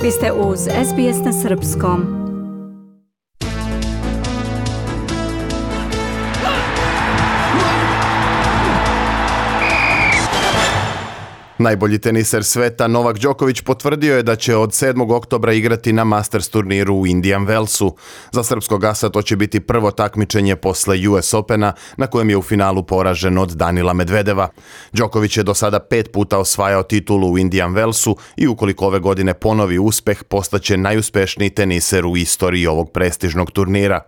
Vi ste uz SBS na srpskom. Najbolji teniser sveta Novak Đoković potvrdio je da će od 7. oktobra igrati na Masters turniru u Indian Wellsu. Za srpskog asa to će biti prvo takmičenje posle US Opena, na kojem je u finalu poražen od Danila Medvedeva. Đoković je do sada 5 puta osvajao titulu u Indian Wellsu i ukoliko ove godine ponovi uspeh, postaće najuspešniji teniser u istoriji ovog prestižnog turnira.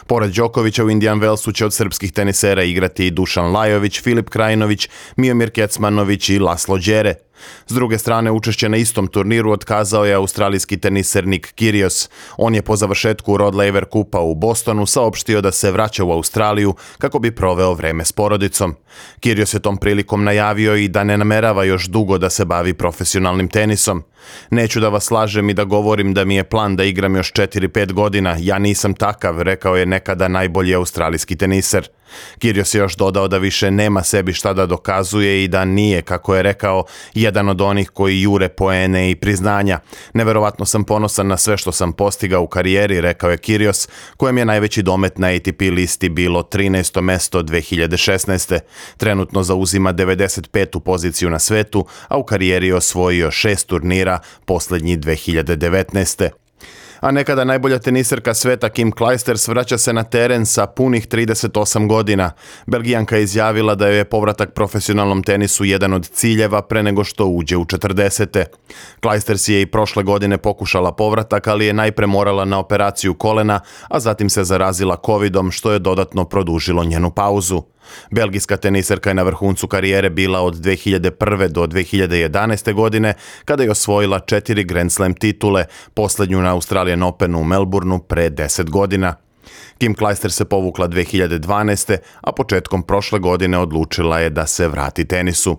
Pored Đokovića u Indian Wellsu će od srpskih tenisera igrati i Dušan Lajović, Filip Krajinović, Miomir Kecmanović i Laslo Đere. S druge strane, učešće na istom turniru otkazao je australijski teniser Nick Kyrgios. On je po završetku Rod Laver Kupa u Bostonu saopštio da se vraća u Australiju kako bi proveo vreme s porodicom. Kyrgios je tom prilikom najavio i da ne namerava još dugo da se bavi profesionalnim tenisom. Neću da vas lažem i da govorim da mi je plan da igram još 4-5 godina, ja nisam takav, rekao je nekada najbolji australijski teniser. Kyrgios je još dodao da više nema sebi šta da dokazuje i da nije, kako je rekao, jedan od onih koji jure poene i priznanja. Neverovatno sam ponosan na sve što sam postigao u karijeri, rekao je Kyrgios, kojem je najveći domet na ATP listi bilo 13. mesto 2016. Trenutno zauzima 95. poziciju na svetu, a u karijeri je osvojio 6 turnira, posljednji 2019. A nekada najbolja teniserka sveta Kim Clijsters vraća se na teren sa punih 38 godina. Belgijanka je izjavila da joj je povratak profesionalnom tenisu jedan od ciljeva pre nego što uđe u 40. Clijsters je i prošle godine pokušala povratak, ali je najpre morala na operaciju kolena, a zatim se zarazila covidom, što je dodatno produžilo njenu pauzu. Belgijska teniserka je na vrhuncu karijere bila od 2001. do 2011. godine, kada je osvojila 4 Grand Slam titule, posljednju na Australian Openu u Melbourneu pre 10 godina. Kim Clijsters se povukla 2012. a početkom prošle godine odlučila je da se vrati tenisu.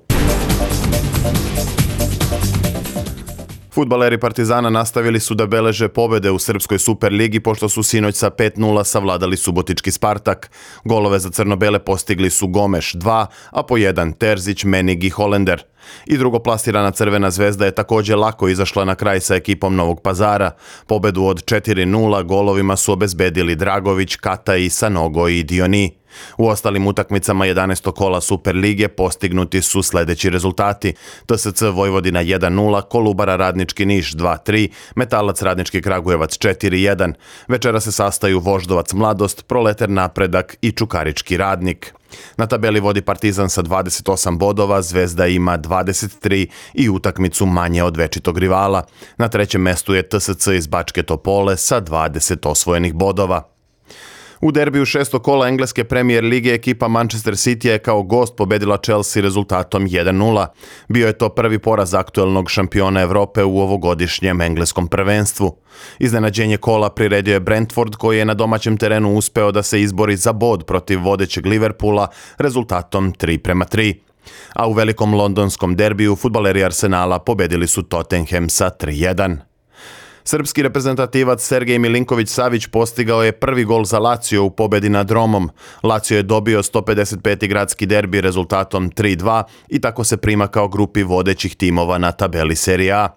Fudbaleri Partizana nastavili su da beleže pobede u Srpskoj Superligi pošto su sinoć sa 5-0 savladali subotički Spartak. Golove za crno-bele postigli su Gomeš 2, a po 1 Terzić, Menig i Holender. I drugoplasirana Crvena zvezda je također lako izašla na kraj sa ekipom Novog Pazara. Pobedu od 4-0 golovima su obezbedili Dragović, Kataj, Sanogo i Dioni. U ostalim utakmicama 11. kola Superlige postignuti su sljedeći rezultati: TSC Vojvodina 1-0, Kolubara Radnički Niš 2-3, Metalac Radnički Kragujevac 4-1. Večera se sastaju Voždovac Mladost, Proleter Napredak i Čukarički Radnik. Na tabeli vodi Partizan sa 28 bodova, Zvezda ima 23 i utakmicu manje od večitog rivala. Na trećem mestu je TSC iz Bačke Topole sa 20 osvojenih bodova. U derbiju 6. kola engleske Premier lige ekipa Manchester City je kao gost pobedila Chelsea rezultatom 1-0. Bio je to prvi poraz aktuelnog šampiona Evrope u ovogodišnjem engleskom prvenstvu. Iznenađenje kola priredio je Brentford, koji je na domaćem terenu uspeo da se izbori za bod protiv vodećeg Liverpoola rezultatom 3-3. A u velikom londonskom derbiju fudbaleri Arsenala pobedili su Tottenham sa 3-1. Srpski reprezentativac Sergej Milinković-Savić postigao je prvi gol za Lazio u pobedi nad Romom. Lazio je dobio 155. gradski derbi rezultatom 3-2 i tako se primakao grupi vodećih timova na tabeli Serie A.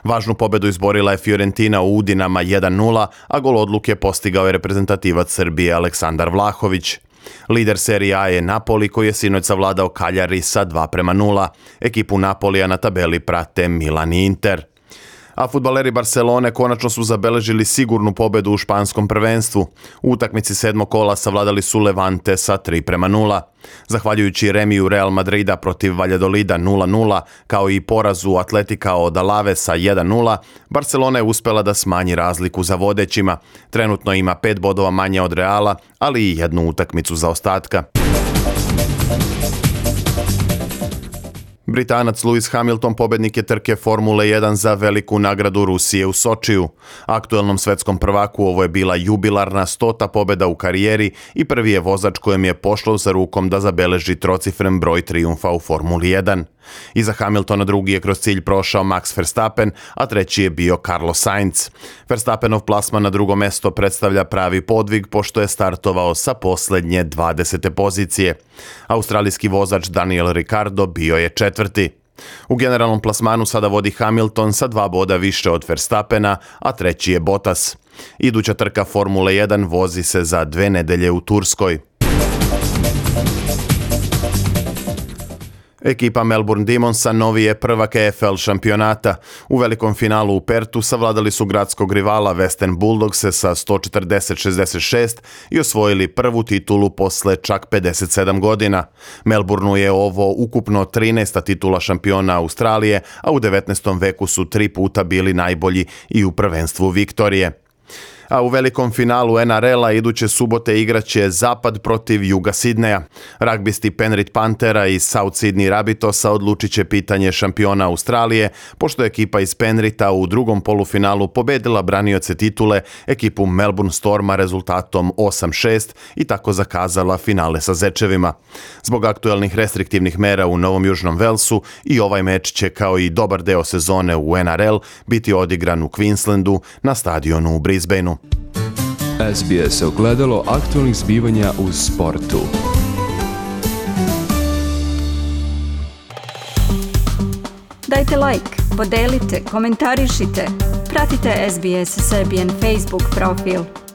Važnu pobedu izborila je Fiorentina u Udinama 1-0, a gol odluke postigao je reprezentativac Srbije Aleksandar Vlahović. Lider Serie A je Napoli, koji je sinoć savladao Cagliari sa 2-0. Ekipu Napolija na tabeli prate Milan i Inter. A fudbaleri Barcelone konačno su zabeležili sigurnu pobedu u španskom prvenstvu. U utakmici 7. kola savladali su Levante sa 3-0. Zahvaljujući remiju Real Madrida protiv Valladolida 0-0, kao i porazu Atletika od Alavesa 1-0, Barcelona je uspela da smanji razliku za vodećima. Trenutno ima 5 bodova manje od Reala, ali i jednu utakmicu zaostatka. Britanac Lewis Hamilton pobednik je trke Formule 1 za veliku nagradu Rusije u Sočiju. Aktuelnom svetskom prvaku ovo je bila jubilarna 100. pobjeda u karijeri i prvi je vozač kojem je pošlo za rukom da zabeleži trocifren broj trijumfa u Formuli 1. Iza Hamiltona drugi je kroz cilj prošao Max Verstappen, a treći je bio Carlos Sainz. Verstappenov plasman na drugo mesto predstavlja pravi podvig pošto je startovao sa posljednje 20. pozicije. Australijski vozač Daniel Ricciardo bio je četvrti. U generalnom plasmanu sada vodi Hamilton sa 2 boda više od Verstappena, a treći je Bottas. Iduća trka Formule 1 vozi se za 2 nedelje u Turskoj. Ekipa Melbourne Demonsa novi je prvak EFL šampionata. U velikom finalu u Pertu savladali su gradskog rivala Western Bulldogse sa 140-66 i osvojili prvu titulu posle čak 57 godina. Melbourneu je ovo ukupno 13. titula šampiona Australije, a u 19. veku su 3 puta bili najbolji i u prvenstvu Viktorije. A u velikom finalu NRL-a iduće subote igraće Zapad protiv Juga Sidneja. Ragbisti Penrith Panthera i South Sydney Rabbitohsa odlučit će pitanje šampiona Australije, pošto je ekipa iz Penritha u drugom polufinalu pobedila branioce titule, ekipu Melbourne Storma rezultatom 8-6 i tako zakazala finale sa zečevima. Zbog aktuelnih restriktivnih mera u Novom Južnom Velsu i ovaj meč će kao i dobar deo sezone u NRL biti odigran u Queenslandu na stadionu u Brisbaneu. SBS ogledalo aktualnih zbivanja u sportu. Dajte like, podelite, komentarišite. Pratite SBS Serbian Facebook profil.